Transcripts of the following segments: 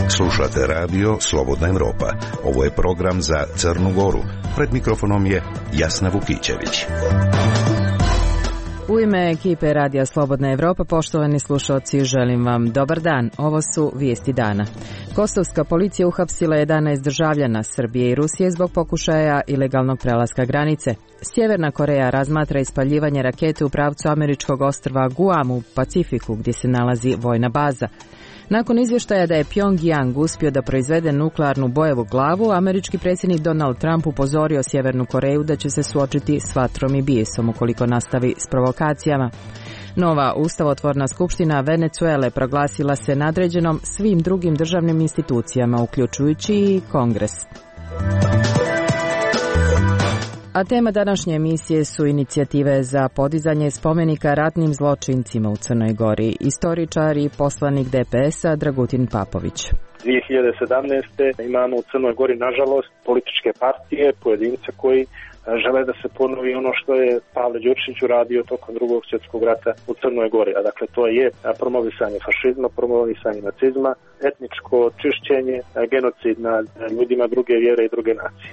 Slušate radio Slobodna Evropa. Ovo je program za Crnu Goru. Pred mikrofonom je Jasna Vukićević. U ime ekipe Radija Slobodna Evropa, poštovani slušalci, želim vam dobar dan. Ovo su vijesti dana. Kosovska policija uhapsila 11 državljana Srbije i Rusije zbog pokušaja ilegalnog prelaska granice. Sjeverna Koreja razmatra ispaljivanje rakete u pravcu američkog ostrva Guam u Pacifiku, gdje se nalazi vojna baza. Nakon izvještaja da je Pyongyang uspio da proizvede nuklearnu bojevu glavu, američki predsjednik Donald Trump upozorio Sjevernu Koreju da će se suočiti s vatrom i bijesom ukoliko nastavi s provokacijama. Nova ustavotvorna skupština Venezuele proglasila se nadređenom svim drugim državnim institucijama, uključujući i Kongres. A tema današnje emisije su inicijative za podizanje spomenika ratnim zločincima u Crnoj Gori. Istoričar i poslanik DPS-a Dragutin Papović. 2017. imamo u Crnoj Gori, nažalost, političke partije, pojedince koji žele da se ponovi ono što je Pavle Đuršić uradio tokom Drugog svjetskog rata u Crnoj Gori. A dakle, to je promovisanje fašizma, promovisanje nacizma, etničko čišćenje, genocid nad ljudima druge vjere i druge nacije.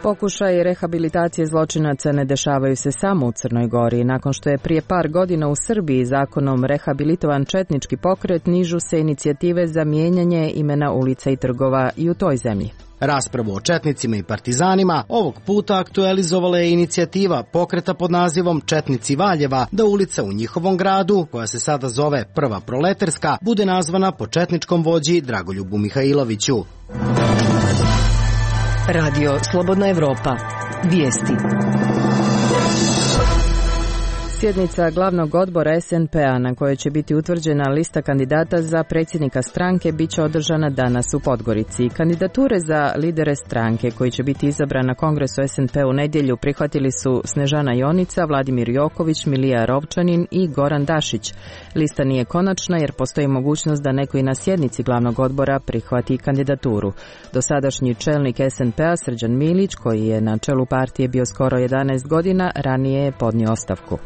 Pokušaj rehabilitacije zločinaca ne dešavaju se samo u Crnoj Gori. Nakon što je prije par godina u Srbiji zakonom rehabilitovan četnički pokret, nižu se inicijative za mijenjanje imena ulica i trgova i u toj zemlji. Raspravu o četnicima i partizanima ovog puta aktualizovala je inicijativa pokreta pod nazivom Četnici Valjeva da ulica u njihovom gradu, koja se sada zove Prva Proleterska, bude nazvana po četničkom vođi Dragoljubu Mihajloviću. Radio Slobodna Evropa. Vijesti. Sjednica glavnog odbora SNP-a na kojoj će biti utvrđena lista kandidata za predsjednika stranke bit će održana danas u Podgorici. Kandidature za lidere stranke koji će biti izabran na kongresu SNP u nedjelju prihvatili su Snežana Jonica, Vladimir Joković, Milija Rovčanin i Goran Dašić. Lista nije konačna jer postoji mogućnost da neko i na sjednici glavnog odbora prihvati kandidaturu. Dosadašnji čelnik SNP-a Srđan Milić, koji je na čelu partije bio skoro 11 godina, ranije je podnio ostavku.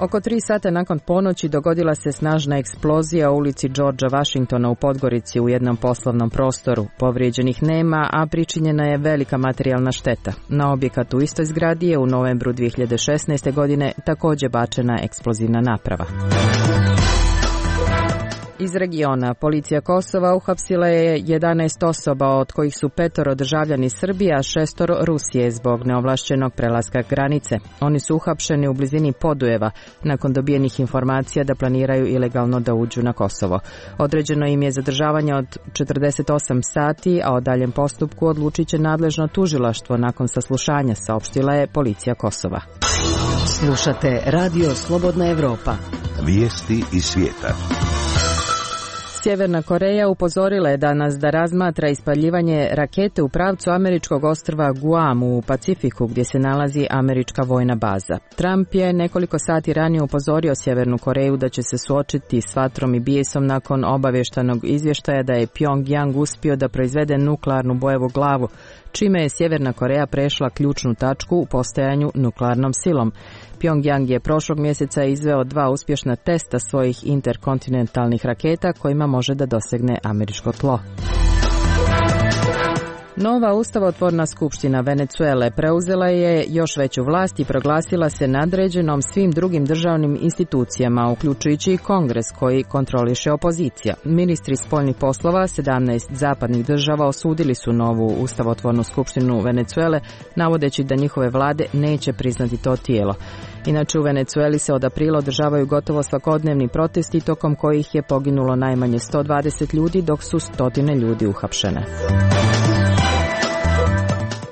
Oko 3 sata nakon ponoći dogodila se snažna eksplozija u ulici Georgea Washingtona u Podgorici u jednom poslovnom prostoru. Povrijeđenih nema, a pričinjena je velika materijalna šteta. Na objekat u istoj zgradi je u novembru 2016. godine također bačena eksplozivna naprava. Iz regiona policija Kosova uhapsila je 11 osoba, od kojih su 5 državljani Srbije, a 6 Rusije zbog neovlašćenog prelaska granice. Oni su uhapšeni u blizini Podujeva nakon dobijenih informacija da planiraju ilegalno da uđu na Kosovo. Određeno im je zadržavanje od 48 sati, a o daljem postupku odlučit će nadležno tužilaštvo nakon saslušanja, saopštila je policija Kosova. Slušate Radio Slobodna Evropa. Vijesti iz svijeta. Sjeverna Koreja upozorila je danas da razmatra ispaljivanje rakete u pravcu američkog ostrva Guam u Pacifiku, gdje se nalazi američka vojna baza. Trump je nekoliko sati ranije upozorio Sjevernu Koreju da će se suočiti s vatrom i bijesom nakon obavještanog izvještaja da je Pyongyang uspio da proizvede nuklearnu bojevu glavu, čime je Sjeverna Koreja prešla ključnu tačku u postajanju nuklearnom silom. Pyongyang je prošlog mjeseca izveo 2 uspješna testa svojih interkontinentalnih raketa kojima može da dosegne američko tlo. Nova ustavotvorna skupština Venezuele preuzela je još veću vlast i proglasila se nadređenom svim drugim državnim institucijama, uključujući i Kongres koji kontroliše opozicija. Ministri spoljnih poslova 17 zapadnih država osudili su novu ustavotvornu skupštinu Venezuele, navodeći da njihove vlade neće priznati to tijelo. Inače, u Venezueli se od aprila održavaju gotovo svakodnevni protesti, tokom kojih je poginulo najmanje 120 ljudi, dok su stotine ljudi uhapšene.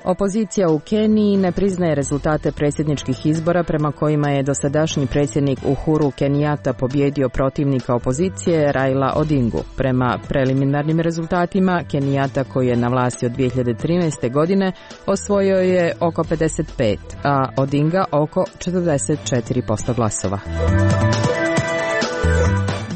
Opozicija u Keniji ne priznaje rezultate predsjedničkih izbora prema kojima je dosadašnji predsjednik Uhuru Kenyatta pobjedio protivnika opozicije Raila Odingu. Prema preliminarnim rezultatima, Kenyatta, koji je na vlasti od 2013. godine, osvojio je oko 55, a Odinga oko 44% glasova.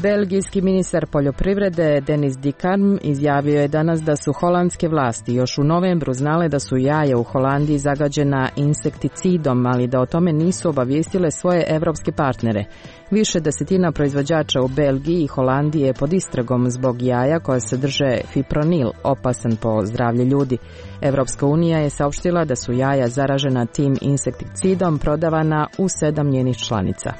Belgijski ministar poljoprivrede Denis Dickarm izjavio je danas da su holandske vlasti još u novembru znale da su jaja u Holandiji zagađena insekticidom, ali da o tome nisu obavijestile svoje evropske partnere. Više desetina proizvođača u Belgiji i Holandiji je pod istragom zbog jaja koja sadrže fipronil, opasan po zdravlje ljudi. Evropska unija je saopštila da su jaja zaražena tim insekticidom prodavana u 7 njenih članica.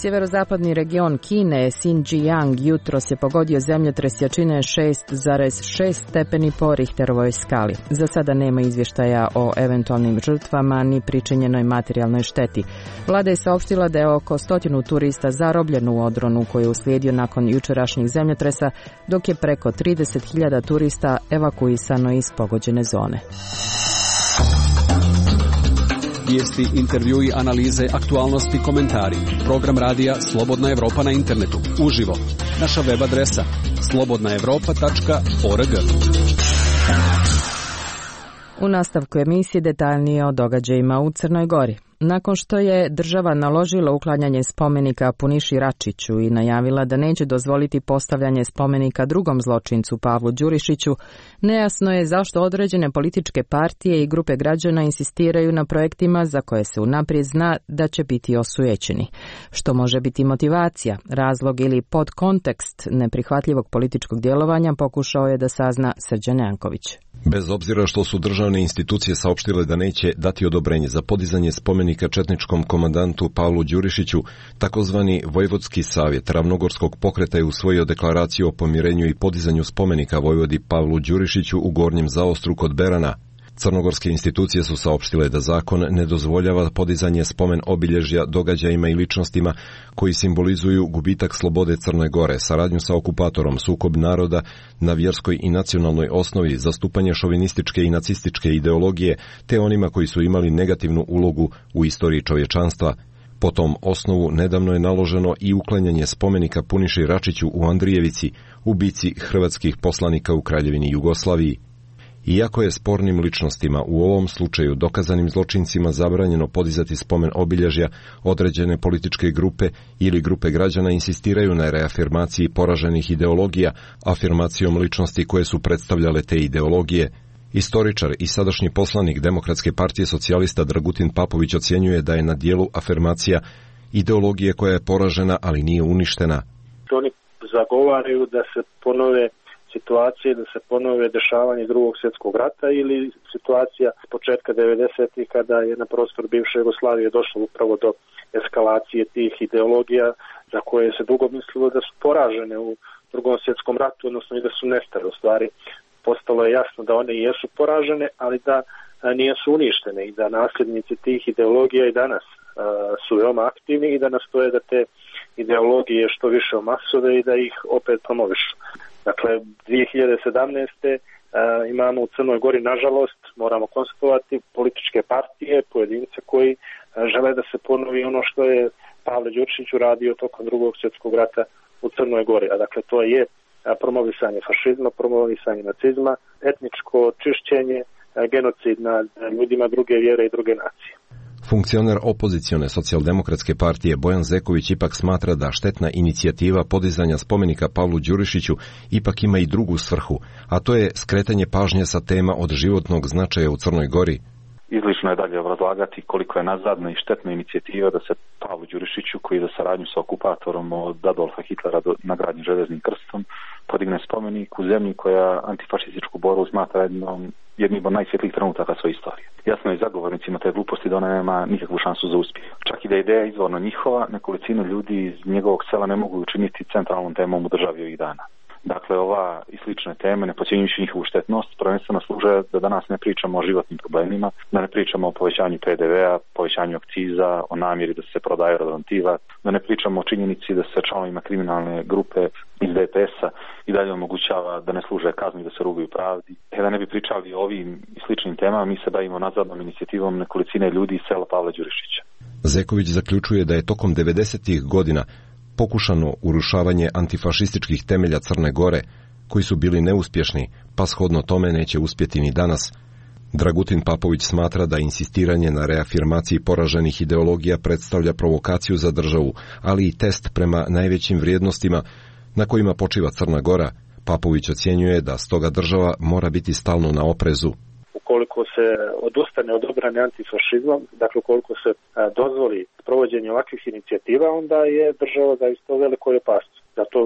Sjeverozapadni region Kine, Xinjiang, jutros je pogodio zemljotres jačine 6,6 stepeni po Richterovoj skali. Za sada nema izvještaja o eventualnim žrtvama ni pričinjenoj materijalnoj šteti. Vlada je saopštila da je oko 100 turista zarobljeno u odronu koji je uslijedio nakon jučerašnjih zemljotresa, dok je preko 30.000 turista evakuisano iz pogođene zone. Vijesti, intervjui, analize, aktualnosti, komentari. Program radija Slobodna Evropa na internetu. Uživo. Naša web adresa slobodnaevropa.org. U nastavku emisije detaljnije o događajima u Crnoj Gori. Nakon što je država naložila uklanjanje spomenika Puniši Račiću i najavila da neće dozvoliti postavljanje spomenika drugom zločincu Pavlu Đurišiću, nejasno je zašto određene političke partije i grupe građana insistiraju na projektima za koje se unaprijed zna da će biti osujećeni. Što može biti motivacija, razlog ili podkontekst neprihvatljivog političkog djelovanja pokušao je da sazna Srđan Janković. Bez obzira što su državne institucije saopštile da neće dati odobrenje za podizanje spomenika četničkom komandantu Pavlu Đurišiću, takozvani Vojvodski savjet Ravnogorskog pokreta je usvojio deklaraciju o pomirenju i podizanju spomenika vojvodi Pavlu Đurišiću u Gornjem Zaostru kod Berana. Crnogorske institucije su saopštile da zakon ne dozvoljava podizanje spomen obilježja događajima i ličnostima koji simbolizuju gubitak slobode Crne Gore, saradnju sa okupatorom, sukob naroda na vjerskoj i nacionalnoj osnovi, zastupanje šovinističke i nacističke ideologije, te onima koji su imali negativnu ulogu u istoriji čovječanstva. Po tom osnovu nedavno je naloženo i uklanjanje spomenika Puniši Račiću u Andrijevici, ubici hrvatskih poslanika u Kraljevini Jugoslaviji. Iako je spornim ličnostima, u ovom slučaju dokazanim zločincima, zabranjeno podizati spomen obilježja, određene političke grupe ili grupe građana insistiraju na reafirmaciji poraženih ideologija, afirmacijom ličnosti koje su predstavljale te ideologije. Istoričar i sadašnji poslanik Demokratske partije socijalista Dragutin Papović ocjenjuje da je na dijelu afirmacija ideologije koja je poražena, ali nije uništena. Oni zagovaraju da se ponove situacije, da se ponove dešavanje Drugog svjetskog rata ili situacija s početka 90-ih kada je na prostor bivše Jugoslavije došlo upravo do eskalacije tih ideologija za koje se dugo mislilo da su poražene u Drugom svjetskom ratu, odnosno i da su nestale. U stvari postalo je jasno da one jesu poražene, ali da nisu uništene i da nasljednici tih ideologija i danas su veoma aktivni i da nastoje da te ideologije što više omasove i da ih opet promovišu. Dakle, 2017. imamo u Crnoj Gori, nažalost, moramo konstatovati, političke partije, pojedince koji žele da se ponovi ono što je Pavle Đurišić uradio tokom Drugog svjetskog rata u Crnoj Gori. A dakle, to je promovisanje fašizma, promovisanje nacizma, etničko čišćenje, genocid nad ljudima druge vjere i druge nacije. Funkcioner opozicione socijaldemokratske partije Bojan Zeković ipak smatra da štetna inicijativa podizanja spomenika Pavlu Đurišiću ipak ima i drugu svrhu, a to je skretanje pažnje sa tema od životnog značaja u Crnoj Gori. Izlično je dalje obrazlagati koliko je nazadna i štetna inicijativa da se Pavlu Đurišiću, koji je za saradnju sa okupatorom od Adolfa Hitlera nagrađen železnim krstom, podigne spomenik u zemlji koja antifašističku borbu smatra jednim od najsvjetlijih trenutaka svoje istorije. Jasno je zagovornicima te gluposti da ona nema nikakvu šansu za uspjeh. Čak i da je ideja izvorno njihova, nekolicinu ljudi iz njegovog sela ne mogu učiniti centralnom temom u državi ovih dana. Dakle, ova i slične teme, ne podcjenjujući njihovu štetnost, prvenstveno služe da danas ne pričamo o životnim problemima, da ne pričamo o povećanju PDV-a, povećanju akciza, o namjeri da se prodaje Rodantiva, da ne pričamo o činjenici da se članovima kriminalne grupe iz DPS-a i dalje omogućava da ne služe kazni, da se rugaju pravdi. Da ne bi pričali o ovim i sličnim temama, mi se bavimo nadzornom inicijativom nekolicine ljudi iz sela Pavla Đurišića. Zeković zaključuje da je tokom 90-ih godina pokušano urušavanje antifašističkih temelja Crne Gore, koji su bili neuspješni, pa shodno tome neće uspjeti ni danas. Dragutin Papović smatra da insistiranje na reafirmaciji poraženih ideologija predstavlja provokaciju za državu, ali i test prema najvećim vrijednostima na kojima počiva Crna Gora. Papović ocjenjuje da stoga država mora biti stalno na oprezu. Ukoliko se odustane od obrane antifašizmom, dakle ukoliko se dozvoli provođenje ovakvih inicijativa, onda je država zaista u velikoj opasnosti. Zato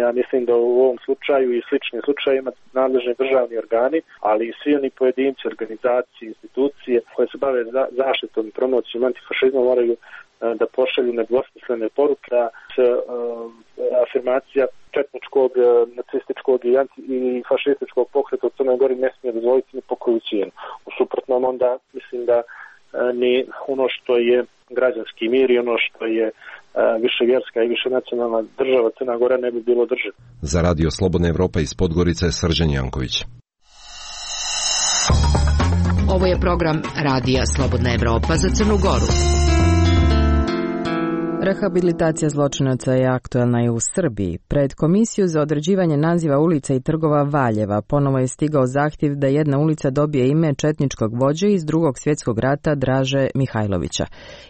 ja mislim da u ovom slučaju i sličnim slučajima nadležni državni organi, ali i svi oni pojedinci, organizacije, institucije koje se bave zaštitom i promocijom antifašizma moraju da pošalju nedvosmislene poruke da se afirmacija četničkog, nacističkog i fašističkog pokreta u Crnoj Gori ne smije dozvoliti ni po koju cijenu. U suprotnom onda mislim da ni ono što je građanski mir i ono što je viševjerska i višenacionalna država Crna Gora ne bi bilo država. Za Radio Slobodna Evropa iz Podgorice, Srđan Janković. Ovo je program Radija Slobodna Evropa za Crnu Goru. Rehabilitacija zločinaca je aktuelna i u Srbiji. Pred Komisiju za određivanje naziva ulica i trgova Valjeva ponovo je stigao zahtjev da jedna ulica dobije ime četničkog vođe iz Drugog svjetskog rata Draže Mihajlovića.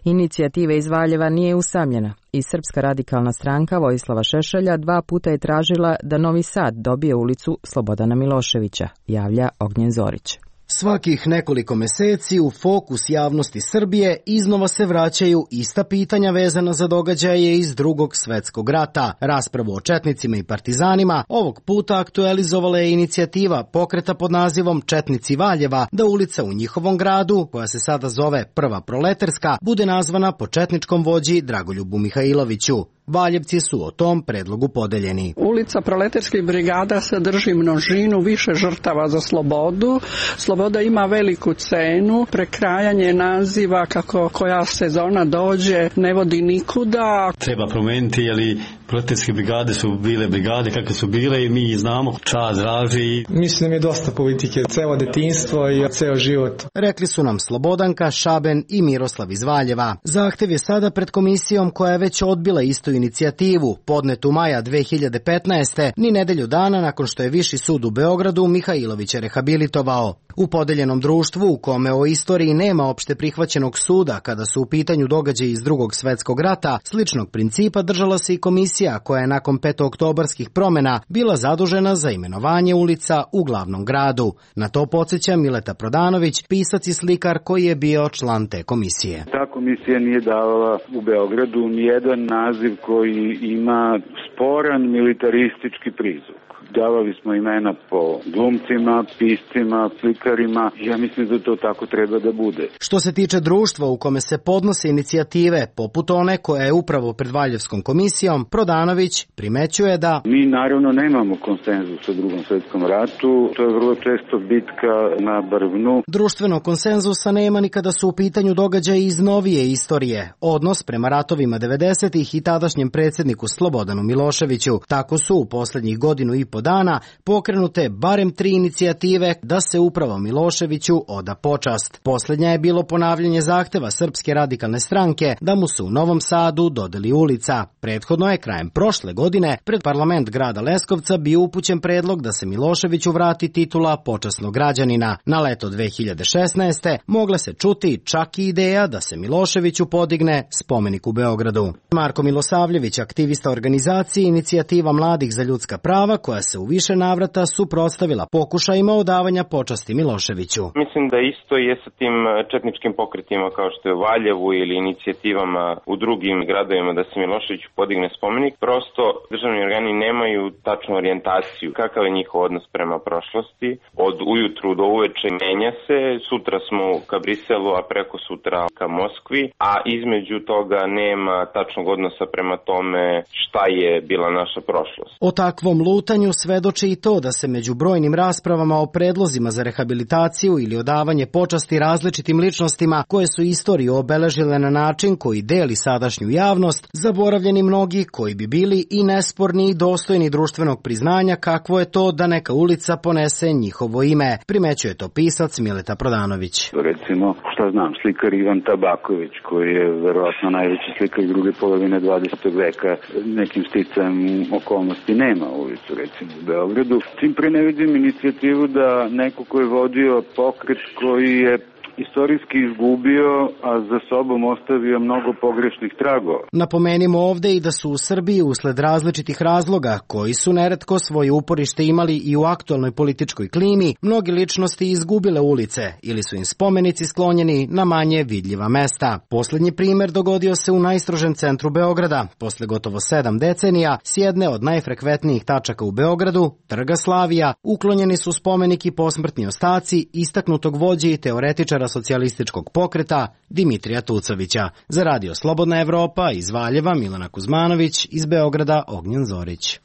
Inicijativa iz Valjeva nije usamljena. I Srpska radikalna stranka Vojislava Šešelja 2 puta je tražila da Novi Sad dobije ulicu Slobodana Miloševića, javlja Ognjen Zorić. Svakih nekoliko meseci u fokus javnosti Srbije iznova se vraćaju ista pitanja vezana za događaje iz Drugog svjetskog rata. Raspravu o četnicima i partizanima ovog puta aktualizovala je inicijativa pokreta pod nazivom Četnici Valjeva da ulica u njihovom gradu, koja se sada zove Prva Proleterska, bude nazvana po četničkom vođi Dragoljubu Mihajloviću. Valjevci su o tom predlogu podeljeni. Ulica Proleterskih brigada sadrži množinu više žrtava za slobodu. Sloboda ima veliku cenu. Prekrajanje naziva kako koja sezona dođe ne vodi nikuda. Treba promijeniti, jer proleterske brigade su bile brigade kakve su bile i mi znamo čas draži. Mislim da je dosta politike, celo detinjstvo i ceo život. Rekli su nam Slobodanka, Šaben i Miroslav iz Valjeva. Zahtev je sada pred komisijom koja je već odbila istu inicijativu, podnetu maja 2015. ni nedelju dana nakon što je Viši sud u Beogradu Mihajlovića rehabilitovao. U podeljenom društvu u kome o istoriji nema opšte prihvaćenog suda kada su u pitanju događaji iz Drugog svjetskog rata, sličnog principa držala se i komisija koja je nakon petooktobarskih promjena bila zadužena za imenovanje ulica u glavnom gradu. Na to podsjeća Mileta Prodanović, pisac i slikar koji je bio član te komisije. Ta komisija nije davala u Beogradu nijedan naziv koji ima sporan militaristički prizvuk. Davali smo imena po glumcima, piscima, slikarima. Ja mislim da to tako treba da bude. Što se tiče društva u kome se podnose inicijative, poput one koja je upravo pred Valjevskom komisijom, Prodanović primećuje da mi naravno nemamo konsenzus u Drugom svjetskom ratu. To je vrlo često bitka na brvnu. Društvenog konsenzusa nema ni kada su u pitanju događaji iz novije istorije. Odnos prema ratovima 90-ih i tadašnjem predsjedniku Slobodanu Miloševiću. Tako su u posljednjih godinu i po dana pokrenute barem 3 inicijative da se upravo Miloševiću oda počast. Posljednja je bilo ponavljanje zahteva Srpske radikalne stranke da mu se u Novom Sadu dodeli ulica. Prethodno je krajem prošle godine pred parlament grada Leskovca bio upućen predlog da se Miloševiću vrati titula počasnog građanina. Na leto 2016. mogla se čuti čak i ideja da se Miloševiću podigne spomenik u Beogradu. Marko Milosavljević, aktivista organizacije Inicijativa mladih za ljudska prava, koja se u više navrata suprotstavila pokušajima odavanja počasti Miloševiću. Mislim da isto je sa tim četničkim pokretima kao što je u Valjevu ili inicijativama u drugim gradovima da se Miloševiću podigne spomenik. Prosto državni organi nemaju tačnu orijentaciju. Kakav je njihov odnos prema prošlosti? Od ujutru do uveče menja se. Sutra smo ka Briselu, a preko sutra ka Moskvi, a između toga nema tačnog odnosa prema tome šta je bila naša prošlost. O takvom lutanju svedoči i to da se među brojnim raspravama o predlozima za rehabilitaciju ili odavanje počasti različitim ličnostima koje su istoriju obeležile na način koji deli sadašnju javnost, zaboravljeni mnogi koji bi bili i nesporni i dostojni društvenog priznanja kakvo je to da neka ulica ponese njihovo ime, primećuje to pisac Mileta Prodanović. Recimo, šta znam, slikar Ivan Tabaković, koji je verovatno najveći slikar druge polovine 20. veka, nekim sticajem okolnosti nema ulicu, recimo. recimo u Beogradu. Tim pre ne vidim inicijativu da neko ko je vodio pokret koji je istorijski izgubio, a za sobom ostavio mnogo pogrešnih tragova. Napomenimo ovde i da su u Srbiji usled različitih razloga, koji su neretko svoje uporište imali i u aktualnoj političkoj klimi, mnogi ličnosti izgubile ulice ili su im spomenici sklonjeni na manje vidljiva mesta. Poslednji primer dogodio se u najstrožem centru Beograda. Posle gotovo 7 decenija, s jedne od najfrekventnijih tačaka u Beogradu, Trga Slavija, uklonjeni su spomenik i posmrtni ostaci istaknutog vođe i teoretičara socijalističkog pokreta Dimitrija Tucovića. Za Radio Slobodna Evropa iz Valjeva Milana Kuzmanović, iz Beograda Ognjen Zorić.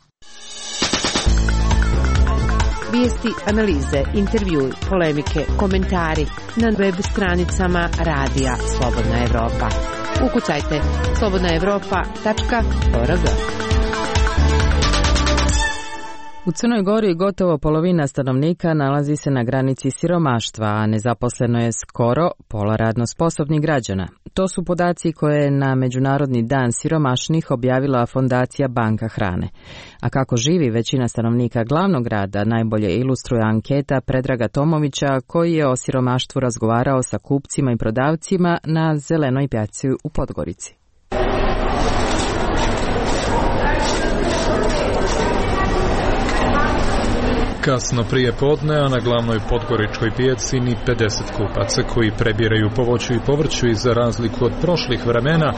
Vijesti, analize, intervjui, polemike, komentari na web stranicama Radija Slobodna Evropa. Ukucajte slobodnaevropa.org. U Crnoj Gori gotovo polovina stanovnika nalazi se na granici siromaštva, a nezaposleno je skoro pola radno sposobnih građana. To su podaci koje je na Međunarodni dan siromašnih objavila Fondacija Banka hrane. A kako živi većina stanovnika glavnog grada najbolje ilustruje anketa Predraga Tomovića, koji je o siromaštvu razgovarao sa kupcima i prodavcima na Zelenoj pijaci u Podgorici. Kasno prije podne, a na glavnoj podgoričkoj pijaci ni 50 kupaca koji prebiraju po voću i povrću i za razliku od prošlih vremena,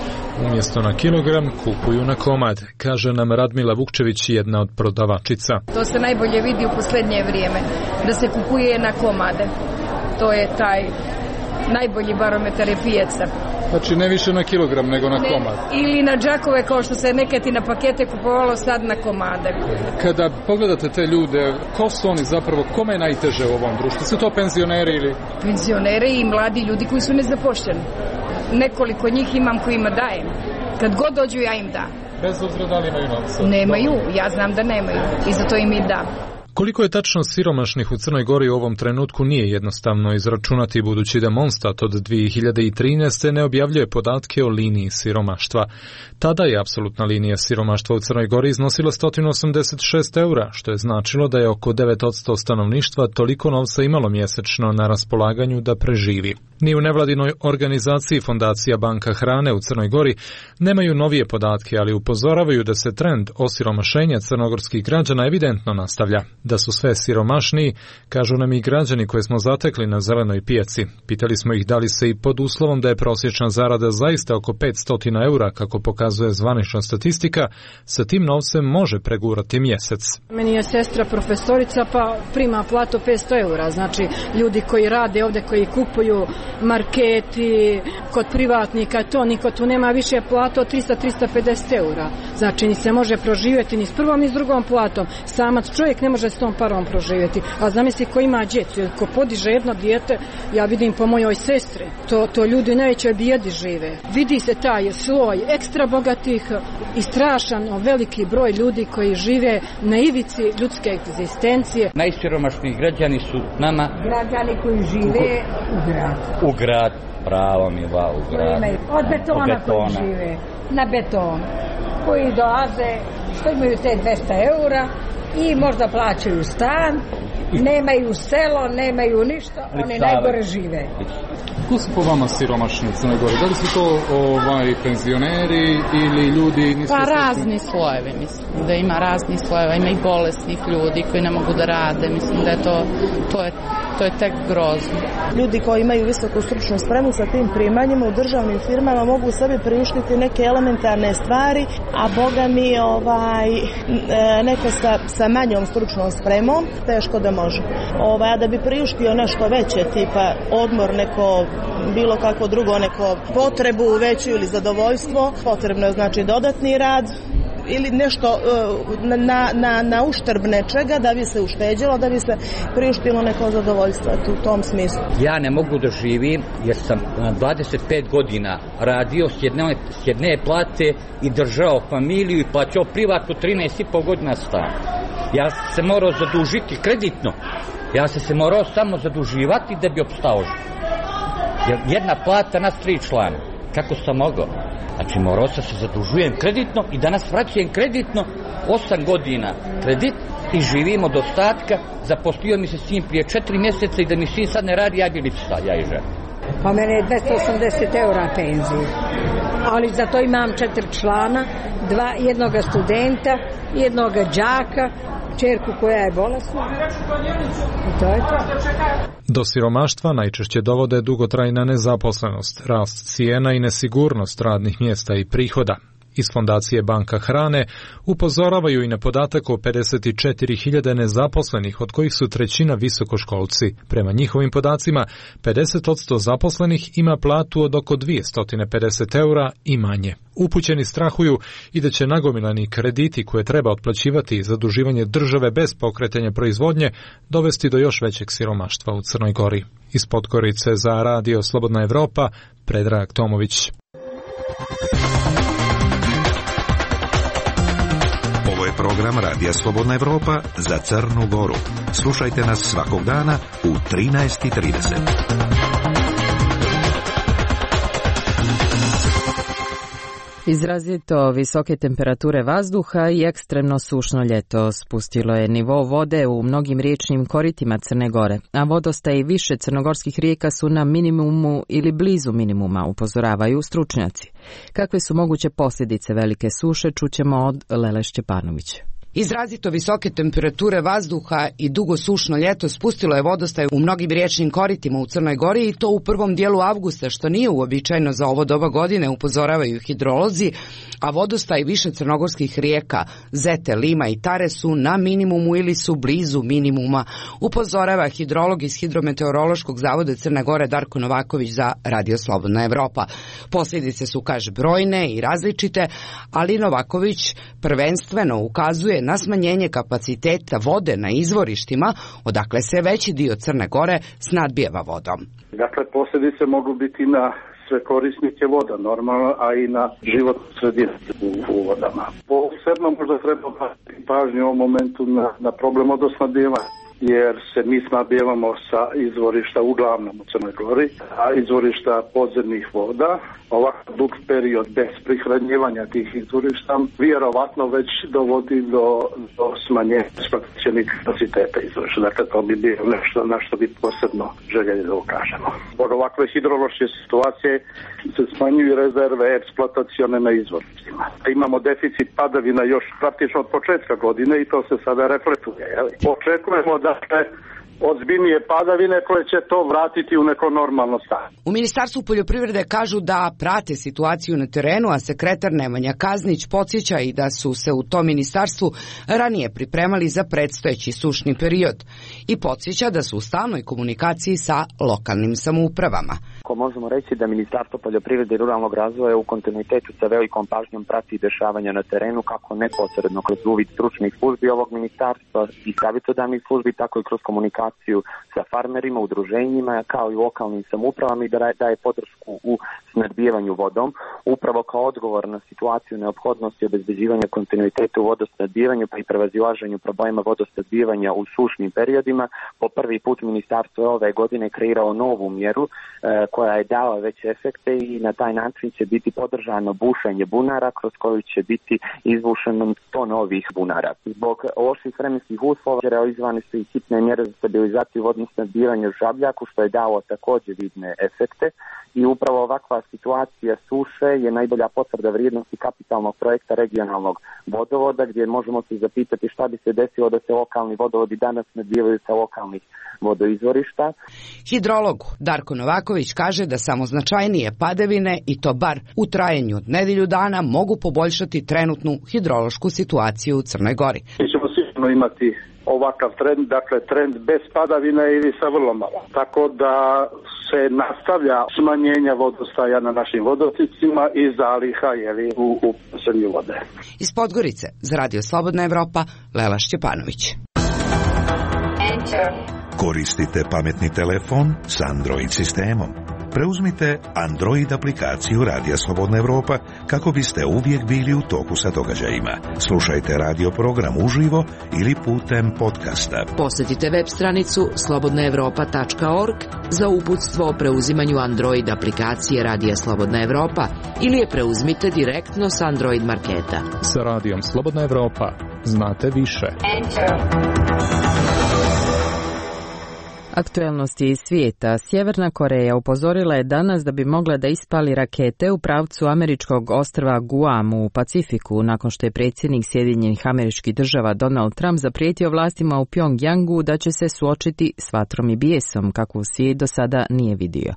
umjesto na kilogram, kupuju na komad, kaže nam Radmila Vukčević, jedna od prodavačica. To se najbolje vidi u posljednje vrijeme, da se kupuje na komade. To je taj najbolji barometar je pijaca. Znači ne više na kilogram nego na komad. Ili na džakove kao što se nekad i na pakete kupovalo, sad na komade. Kada pogledate te ljude, ko su oni zapravo, kome je najteže u ovom društvu? Su to penzioneri ili? Penzioneri i mladi ljudi koji su nezaposleni. Nekoliko njih imam kojima dajem. Kad god dođu ja im dam. Bez obzira da li imaju novca? Nemaju, ja znam da nemaju i zato im i dam. Koliko je tačno siromašnih u Crnoj Gori u ovom trenutku nije jednostavno izračunati, budući da Monstat od 2013. ne objavljuje podatke o liniji siromaštva. Tada je apsolutna linija siromaštva u Crnoj Gori iznosila 186 eura, što je značilo da je oko 9% stanovništva toliko novca imalo mjesečno na raspolaganju da preživi. Ni u nevladinoj organizaciji Fondacija Banka hrane u Crnoj Gori nemaju novije podatke, ali upozoravaju da se trend osiromašenja crnogorskih građana evidentno nastavlja. Da su sve siromašniji, kažu nam i građani koje smo zatekli na Zelenoj pijaci. Pitali smo ih da li se i pod uslovom da je prosječna zarada zaista oko 500 eura, kako pokazuje zvanična statistika, sa tim novcem može pregurati mjesec. Meni je sestra profesorica pa prima platu 500 eura, znači ljudi koji rade ovdje, koji kupuju marketi, kod privatnika, to niko tu nema više platu od 300-350 eura. Znači ni se može proživjeti ni s prvom ni s drugom platom. Samac čovjek ne može s tom parom proživjeti. A zamisli ko ima djecu, ko podiže jedno dijete, ja vidim po mojoj sestri, to ljudi u najvećoj bijedi žive. Vidi se taj sloj ekstra bogatih i strašan veliki broj ljudi koji žive na ivici ljudske egzistencije. Najsiromašniji građani su nama građani koji žive u grad, pravo mi va u grad. Od betona koji žive na beton, koji dolaze, što imaju te 200 eura i možda plaćaju stan, nemaju selo, nemaju ništa, oni najgore žive. Ko su po vama siromašni u Crnoj Gori? Da li su to penzioneri ili ljudi? Pa razni slojevi, mislim da ima raznih slojeva, ima i bolesnih ljudi koji ne mogu da rade, mislim da je to je tek grozno. Ljudi koji imaju visoku stručnu spremu sa tim primanjima u državnim firmama mogu sebi priuštiti neke elementarne stvari, a boga mi neko sa manjom stručnom spremom teško da može. A da bi priuštio nešto veće, tipa odmor, neko bilo kako drugo, neko potrebu veću ili zadovoljstvo, potrebno je znači dodatni rad ili nešto na uštrb nečega da bi se ušteđilo, da bi se priuštilo neko zadovoljstvo u tom smislu. Ja ne mogu da živim jer sam 25 godina radio s jedne plate i držao familiju i plaćao privatno 13,5 godina stan. Ja sam se morao zadužiti kreditno. Ja sam se morao samo zaduživati da bi opstao. Jedna plata nas 3 člana. kako sam mogao. Znači morao sam se zadužujem kreditno i danas vraćam kreditno 8 godina kredit i živim od ostatka. Zaposlio mi se sin prije 4 mjeseca i da mi sin sad ne radi, ja bi liči sad, ja i žena. Pa mene je 280 € penzije, ali za to imam 4 člana, jednoga studenta, jednoga đaka, čerku koja je bolesna. I to je to. Do siromaštva najčešće dovode dugotrajna nezaposlenost, rast cijena i nesigurnost radnih mjesta i prihoda. Iz Fondacije Banka hrane upozoravaju i na podatak o 54.000 nezaposlenih, od kojih su trećina visokoškolci. Prema njihovim podacima, 50% zaposlenih ima platu od oko 250 € i manje. Upućeni strahuju i da će nagomilani krediti koje treba otplaćivati i zaduživanje države bez pokretanja proizvodnje dovesti do još većeg siromaštva u Crnoj Gori. Iz Podgorice za Radio Slobodna Evropa, Predrag Tomović. Ovo je program Radija Slobodna Evropa za Crnu Goru. Slušajte nas svakog dana u 13:30. Izrazito visoke temperature vazduha i ekstremno sušno ljeto spustilo je nivo vode u mnogim riječnim koritima Crne Gore, a vodostaji više crnogorskih rijeka su na minimumu ili blizu minimuma, upozoravaju stručnjaci. Kakve su moguće posljedice velike suše, čućemo od Lele Šćepanović. Izrazito visoke temperature vazduha i dugo sušno ljeto spustilo je vodostaj u mnogim riječnim koritima u Crnoj Gori i to u prvom dijelu avgusta, što nije uobičajeno za ovo doba godine, upozoravaju hidrolozi, a vodostaj više crnogorskih rijeka Zete, Lima i Tare su na minimumu ili su blizu minimuma, upozorava hidrolog iz Hidrometeorološkog zavoda Crne Gore Darko Novaković za Radio Slobodna Evropa. Posljedice su, kaže, brojne i različite, ali Novaković prvenstveno ukazuje na smanjenje kapaciteta vode na izvorištima, odakle se veći dio Crne Gore snadbijeva vodom. Dakle, posljedice mogu biti na sve korisnike voda, normalno, a i na životnu sredinu u vodama. Posebno možda treba pažnju u ovom momentu na problem vodosnadbijevanja, jer se mi snabdijevamo sa izvorišta uglavnom u Crnoj Gori, a izvorišta podzemnih voda, ovakav dug period bez prihranjivanja tih izvorišta vjerovatno već dovodi do smanjenja eksploatacionih kapaciteta izvorišta. Dakle, to bi bilo nešto na što bi posebno željeli da ukažemo. Zbog ovakve hidrološke situacije se smanjuju rezerve eksploatacione na izvorištima. Imamo deficit padavina još praktično od početka godine i to se sada reflektuje. Očekujemo da ozbiljnije padavine koje će to vratiti u neko normalno stanje. U Ministarstvu poljoprivrede kažu da prate situaciju na terenu, a sekretar Nemanja Kaznić podsjeća i da su se u tom ministarstvu ranije pripremali za predstojeći sušni period i podsjeća da su u stalnoj komunikaciji sa lokalnim samoupravama. Možemo reći da Ministarstvo poljoprivrede i ruralnog razvoja u kontinuitetu sa velikom pažnjom prati dešavanja na terenu, kako neposredno kroz uvid stručnih službi ovog ministarstva i savjetodavnih službi, tako i kroz komunikaciju sa farmerima, udruženjima, kao i lokalnim samoupravama i da daje podršku u snadbijevanju vodom, upravo kao odgovor na situaciju neophodnosti obezbeđivanja kontinuiteta u vodosnadbijevanju pa i prevazilaženju problema vodosnadbijevanja u sušnim periodima. Po prvi put ministarstvo ove godine kreirao novu mjeru koja je dala veće efekte i na taj način će biti podržano bušenje bunara kroz koju će biti izbušeno 100 novih bunara. Zbog loših vremenskih uslova realizovane su i hitne mjere za stabilizaciju vodnog snadbijevanja u Žabljaku, što je dalo također vidne efekte i upravo ovakva situacija suše je najbolja potvrda vrijednosti kapitalnog projekta regionalnog vodovoda, gdje možemo se zapitati šta bi se desilo da se lokalni vodovodi danas snadbijevaju sa lokalnih vodoizvorišta. Hidrolog Darko Novaković kaže da samo značajnije padavine, i to bar u trajanju od nedelju dana, mogu poboljšati trenutnu hidrološku situaciju u Crnoj Gori. Mi ćemo sigurno imati ovakav trend, dakle trend bez padavina ili sa vrlo malo. Tako da se nastavlja smanjenja vodostaja na našim vodotocima i zaliha u podzemlju vode. Iz Podgorice za Radio Slobodna Evropa, Lela Šćepanović. Koristite pametni telefon s Android sistemom. Preuzmite Android aplikaciju Radija Slobodna Evropa kako biste uvijek bili u toku sa događajima. Slušajte radio program uživo ili putem podcasta. Posjetite web stranicu slobodnaevropa.org za uputstvo o preuzimanju Android aplikacije Radija Slobodna Evropa ili je preuzmite direktno s Android marketa. Sa Radijom Slobodna Evropa znate više. Aktuelnosti iz svijeta. Sjeverna Koreja upozorila je danas da bi mogla da ispali rakete u pravcu američkog ostrva Guam u Pacifiku nakon što je predsjednik Sjedinjenih Američkih Država Donald Trump zaprijetio vlastima u Pjongjangu da će se suočiti s vatrom i bijesom kakvu svijet do sada nije vidio.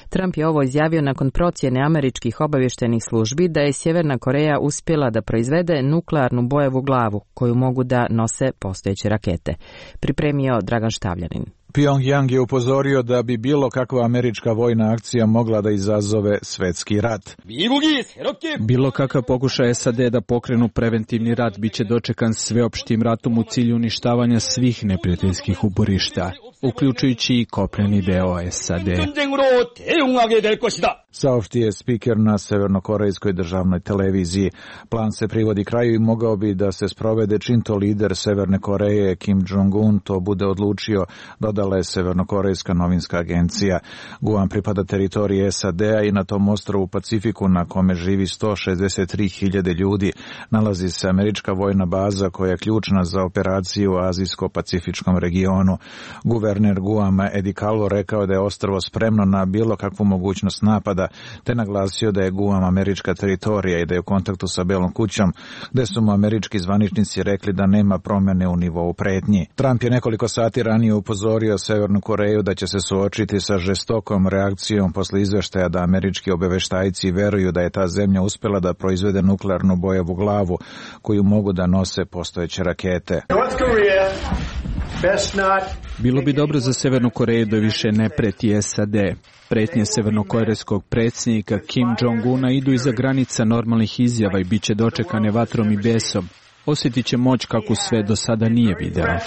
Trump je ovo izjavio nakon procjene američkih obavještajnih službi da je Sjeverna Koreja uspjela da proizvede nuklearnu bojevu glavu koju mogu da nose postojeće rakete. Pripremio Dragan Štavljanin. Pjongjang je upozorio da bi bilo kakva američka vojna akcija mogla da izazove svetski rat. Bilo kakav pokušaj SAD da pokrenu preventivni rat biće dočekan sveopštim ratom u cilju uništavanja svih neprijateljskih uporišta, uključujući i kopneni deo SAD. Saopštio je spiker na severnokorejskoj državnoj televiziji. Plan se privodi kraju i mogao bi da se sprovede čim to lider Severne Koreje Kim Jong-un to bude odlučio, dodala je severnokorejska novinska agencija. Guam pripada teritoriji SAD-a i na tom ostrvu u Pacifiku na kome živi 163.000 ljudi nalazi se američka vojna baza koja je ključna za operaciju u azijsko-pacifičkom regionu. Guverner Guama Eddie Calvo rekao da je ostrvo spremno na bilo kakvu mogućnost napada, te naglasio da je Guam američka teritorija i da je u kontaktu sa Belom kućom, gde su mu američki zvaničnici rekli da nema promjene u nivou pretnji. Trump je nekoliko sati ranije upozorio Severnu Koreju da će se suočiti sa žestokom reakcijom posle izveštaja da američki obaveštajci veruju da je ta zemlja uspjela da proizvede nuklearnu bojevu glavu koju mogu da nose postojeće rakete. Bilo bi dobro za Severnu Koreju da više ne preti SAD. Pretnje severnokorejskog predsjednika Kim Jong-una idu iza granica normalnih izjava i bit će dočekane vatrom i besom. Osjetit će moć kako sve do sada nije videla.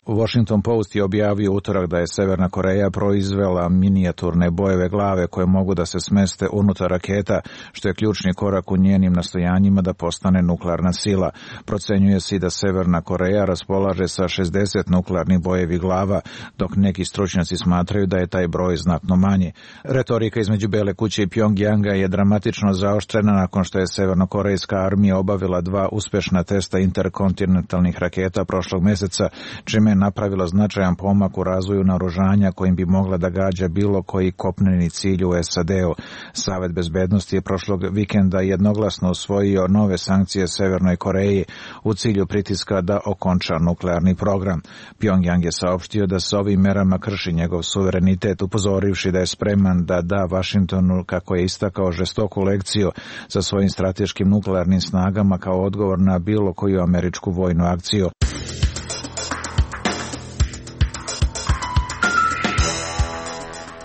Washington Post je objavio utorak da je Severna Koreja proizvela minijaturne bojeve glave koje mogu da se smeste unutar raketa, što je ključni korak u njenim nastojanjima da postane nuklearna sila. Procenjuje se i da Severna Koreja raspolaže sa 60 nuklearnih bojevi glava, dok neki stručnjaci smatraju da je taj broj znatno manji. Retorika između Bele kuće i Pjongjanga je dramatično zaoštrena nakon što je severnokorejska armija obavila 2 uspješna testa interkontinentalnih raketa prošlog mjeseca, čime je napravila značajan pomak u razvoju naoružanja kojim bi mogla da gađa bilo koji kopneni cilj u SAD-u. Savet bezbednosti je prošlog vikenda jednoglasno usvojio nove sankcije Severnoj Koreji u cilju pritiska da okonča nuklearni program. Pjongjang je saopštio da se ovim merama krši njegov suverenitet, upozorivši da je spreman da da Washingtonu, kako je istakao, žestoku lekciju sa svojim strateškim nuklearnim snagama kao odgovor na bilo koju američku vojnu akciju.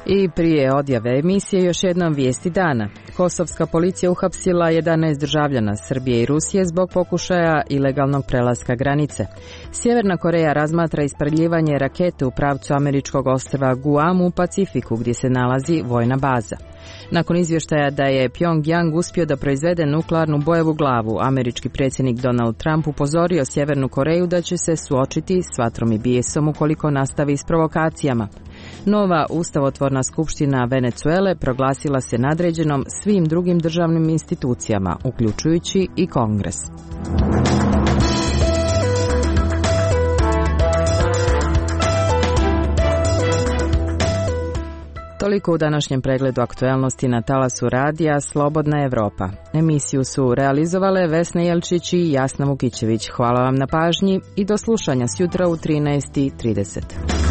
I prije odjave emisije još jednom vijesti dana. Kosovska policija uhapsila 11 državljana Srbije i Rusije zbog pokušaja ilegalnog prelaska granice. Sjeverna Koreja razmatra ispaljivanje rakete u pravcu američkog ostrva Guam u Pacifiku gdje se nalazi vojna baza. Nakon izvještaja da je Pjongjang uspio da proizvede nuklearnu bojevu glavu, američki predsjednik Donald Trump upozorio Sjevernu Koreju da će se suočiti s vatrom i bijesom ukoliko nastavi s provokacijama. Nova ustavotvorna skupština Venezuele proglasila se nadređenom svim drugim državnim institucijama, uključujući i Kongres. Toliko u današnjem pregledu aktuelnosti na talasu radija Slobodna Evropa. Emisiju su realizovale Vesna Jelčić i Jasna Vukićević. Hvala vam na pažnji i do slušanja sjutra u 13:30.